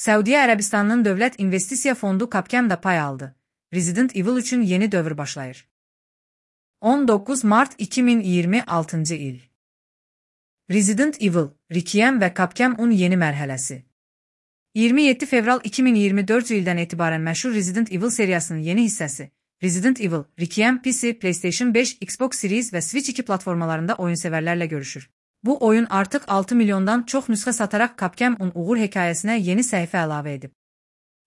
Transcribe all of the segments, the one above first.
Səudiyyə Ərəbistanının Dövlət İnvestisiya Fondu Capcom-da pay aldı. Resident Evil üçün yeni dövr başlayır. 19 Mart 2026 il. Resident Evil, Requiem və Capcom-un yeni mərhələsi. 27 fevral 2024 ildən etibarən məşhur Resident Evil seriyasının yeni hissəsi Resident Evil, Requiem PC, PlayStation 5, Xbox Series və Switch 2 platformalarında oyunsevərlərlə görüşür. Bu oyun artıq 6 milyondan çox nüsxə sataraq Capcom-un uğur hekayəsinə yeni səhifə əlavə edib.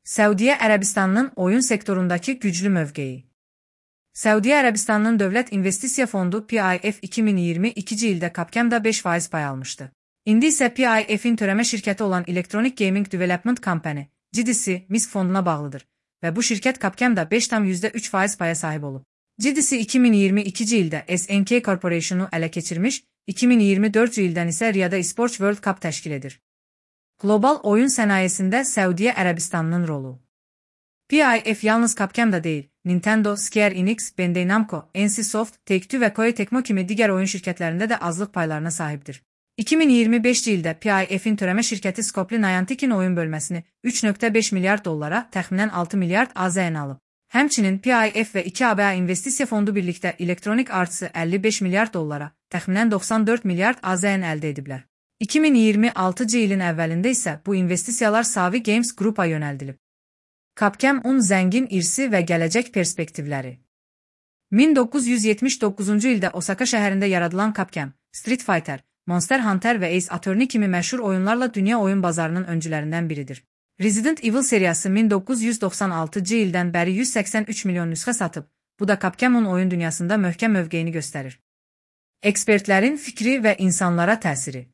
Səudiyyə Ərəbistanının oyun sektorundakı güclü mövqeyi. Səudiyyə Ərəbistanının Dövlət İnvestisiya Fondu PIF 2022-ci ildə Capcom-da 5% pay almışdı. İndi isə PIF-in törəmə şirkəti olan Electronic Gaming Development Company, GDC, MISC fonduna bağlıdır və bu şirkət Capcom-da 5,3% paya sahib olub. GDC 2022-ci ildə SNK Corporation-u ələ keçirmiş, 2024-cü ildən isə Riyada Esports World Cup təşkil edir. Qlobal oyun sənayesində Səudiyyə Ərəbistanının rolu. PIF yalnız Capcom-da deyil, Nintendo, Square Enix, Bandai Namco, NCSoft, Take-Two və Koei Tecmo kimi digər oyun şirkətlərində də azlıq paylarına sahibdir. 2025-ci ildə PIF-in törəmə şirkəti Scopely Niantic'in oyun bölməsini 3,5 milyard dollara, təxminən 6 milyard AZN alıb. Həmçinin PIF və 2 ABA investisiya fondu birlikdə Electronic Arts-ı 55 milyard dollara, təxminən 94 milyard AZN əldə ediblər. 2026-cı ilin əvvəlində isə bu investisiyalar Savi Games Group-a yönəldilib. Capcom-un zəngin irsi və gələcək perspektivləri. 1979-cu ildə Osaka şəhərində yaradılan Capcom, Street Fighter, Monster Hunter və Ace Attorney kimi məşhur oyunlarla dünya oyun bazarının öncülərindən biridir. Resident Evil seriyası 1996-cı ildən bəri 183 milyon nüsxə satıb, bu da Capcom-un oyun dünyasında möhkəm mövqeyini göstərir. Ekspertlərin fikri və insanlara təsiri.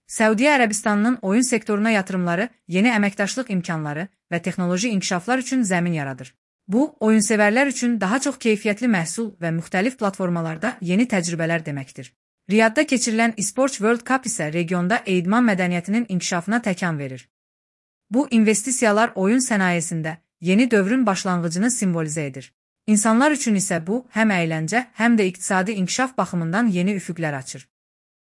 Səudiyyə Ərəbistanının oyun sektoruna yatırımları, yeni əməkdaşlıq imkanları və texnoloji inkişaflar üçün zəmin yaradır. Bu, oyunsevərlər üçün daha çox keyfiyyətli məhsul və müxtəlif platformalarda yeni təcrübələr deməkdir. Riyadda keçirilən Esports World Cup isə regionda idman mədəniyyətinin inkişafına təkan verir. Bu investisiyalar oyun sənayesində yeni dövrün başlanğıcını simvolizə edir. İnsanlar üçün isə bu həm əyləncə, həm də iqtisadi inkişaf baxımından yeni üfüqlər açır.